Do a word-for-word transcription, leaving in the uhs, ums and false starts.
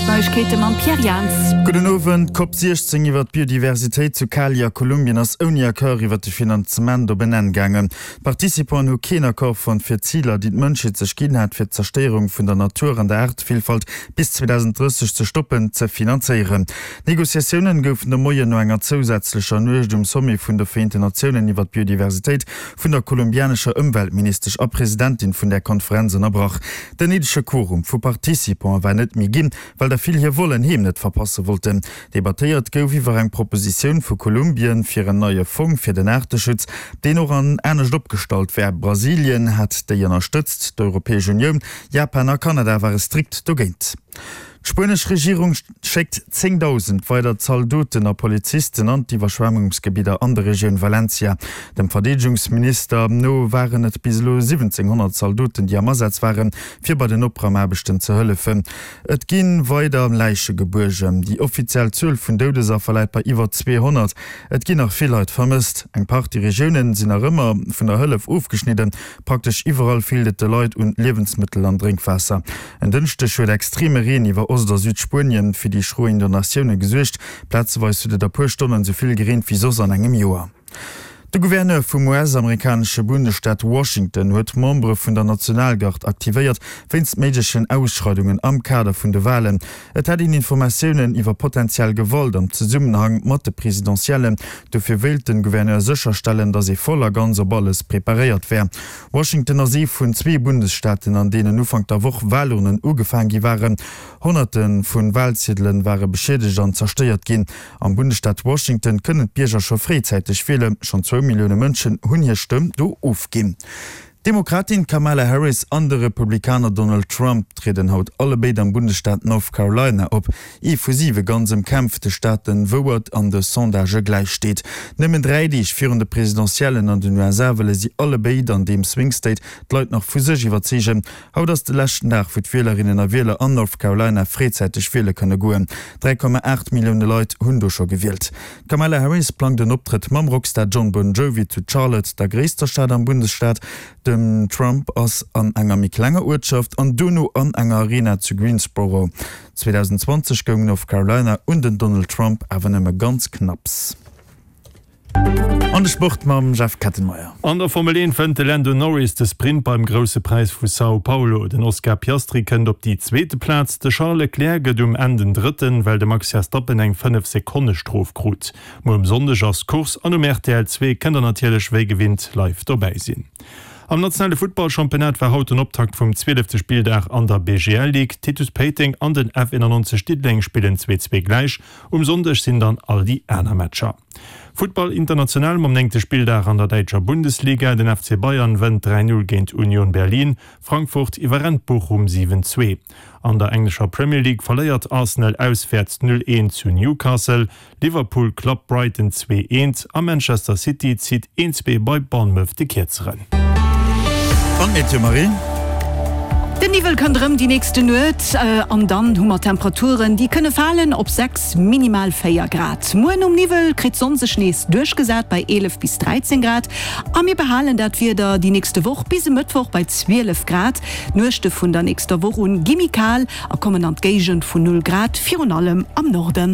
D'Neiegkeete mam Pierre Jans. Gudden Owend. D'Cop siechzéng iwwer d'Biodiversitéit zu Cali a Kolumbien ass ouni Accord iwwer de Finanzement op en Enn gaangen. D'Participanten hu keen Accord fonnt fir d'Ziler, déi d'Mënschheet sech ginn hat, fir d'Zerstéierung vun der Natur an der Aartevillfalt bis zweedausenddrësseg ze stoppen, ze finanzéieren. D'Negociatiounen goufen de Moien no enger zousätzlecher Nuecht um Sommet vun de Vereenten Natiounen iwwer d'Biodiversitéit vun der kolumbianescher Ëmweltministesch a Presidentin vun där Konferenz ënnerbrach. Den néidege Quorum vu Participante war net méi ginn, well der vill hir Vol heem net verpasse wollten. Debattéiert gouf iwwer eng Propositioun vu Kolumbien fir en neie Fong fir den Aarteschutz, deen och an anescht opgestallt wär. Brasilien hat déi ënnerstëtzt, d'Europäesch Unioun, Japan a Kanada ware strikt dogéint. D'spuenesch Regierung schéckt zéngdausend weider Zaldoten a Polizisten an d'Iwwerschwemmungsgebidder an der Regioun Valencia. Dem Verdeedegungsminister no waren et bis elo siwwenzénghonnert Zaldoten, déi am Asaz waren, fir bei den Opraumaarbechten ze hëllefen. Et gi weider Läiche gebuergen. Déi offiziell Zuel vun Doudesaffer läit bei iwwer zweehonnert. Et ginn nach vill Leit vermësst. Eng Partie Regioune sinn nach ëmmer vun der Hëllef ofgeschnidden. Praktesch iwwerall feelt et de Leit un Liewensmëttel an Drénkwaasser. En Dënschdeg huet extreme Reen iwwer Ost a Südspuenien fir déi schro Inondatioune gesuergt. Plazeweis huet et a puer Stonnen esou vill gereent wéi soss an engem Joer. De Gouverneur vum U S-amerikanesche Bundesstaat Washington huet d'Membere vun der Nationalgard aktivéiert wéinst méiglechen Ausschreidungen am Kader vun de Walen. Et hätt een Informatiounen iwwer potentiell Gewalt am Zesummenhang mat de Presidentiellen. Dofir wéilt de Gouverneur sécherstellen, datt ee voll a ganz op alles preparéiert wär. Washington ass ee vun zwee Bundesstaaten, an deenen Ufank der Woch Walurnen ugefaang gi waren. Honnerte vu Walziedele ware beschiedegt an zerstéiert ginn. Am Bundesstaat Washington kënnen d'Bierger scho fréizäiteg wielen. Schonn zwou Millioune Mënschen hunn hir Stëmm do ofginn. D'Demokratin Kamala Harris an de Republikaner Donald Trump trieden haut allebéid am Bundesstaat North Carolina op, ee vu siwe ganz ëmkämpfte Staaten, wou et an de Sondagë gläich steet. Nëmmen dräi Deeg virun de Presidentiellen an den U S A wëlle si allebéid an deem Swing State d'Leit nach vu sech iwwerzeegen. Haut ass de leschten Dag, wou d'Wielerinnen a Wieler an North Carolina fréizäiteg wiele kënne goen. dräi Komma aacht Millioune Leit hunn do scho gewielt. D'Kamala Harris plangt en Optrëtt mam Rockstar Jon Bon Jovi zu Charlotte, der gréisster Stad am Bundesstaat. Den Trump ass an enger méi klenger Uertschaft an duerno an enger Arena zu Greensboro. zweedausendzwanzeg goung North Carolina un den Donald Trump awer nëmme ganz knapps. An de Sport mam Jeff Kettenmeyer. An der Formel eent wënnt de Lando Norris de Sprint beim Grousse Präis vu São Paulo. Den Oscar Piastri kënnt op déi zweete Plaz, de Charles Leclerc gëtt um Enn den Drëtten, well de Max Verstappen eng fënnef Sekonne Strof krut. Muer um Sonndeg ass d'Course an um R T L zwee kënnt der natierlech wéi gewinnt live dobäi sinn. Am nationale Futtballchampionnat war haut den Optakt vum zwielefte Spilldag an der B G L Ligue. Titus Péiteng an den F eenannonzeg Diddeleng spillen zwee zwee gläich. Um Sonndeg sinn dann all déi aner Matcher. Futtball international mam néngte Spilldag an der däitscher Bundesliga. Den F C Bayern wënnt dräi Null géint Union Berlin. Frankfurt iwwerrennt Bochum siwen zwee. An der englescher Premier League verléiert Arsenal auswäerts null eent zu Newcastle. Liverpool klappt Brighton zwee eent a Manchester City zitt een zwee bei Bournemouth de Kierzeren. An d'Meteo, Marie? Den Niwwel kënnt erëm déi nächste Nuet an dann hu mer Temperaturen, déi kënne falen op sechs, minimal véier Grad. Muer nom Niwwel kritt d'Sonn sech nees duerchgesat bei eelef bis dräizéng Grad a mir behalen dat Wieder déi nächste Woch bis e Mëttwoch bei zwielef Grad. D'Nuechte vun der nächster Woch un gi méi kal a kommen an d'Géigend vun null Grad, virun allem am Norden.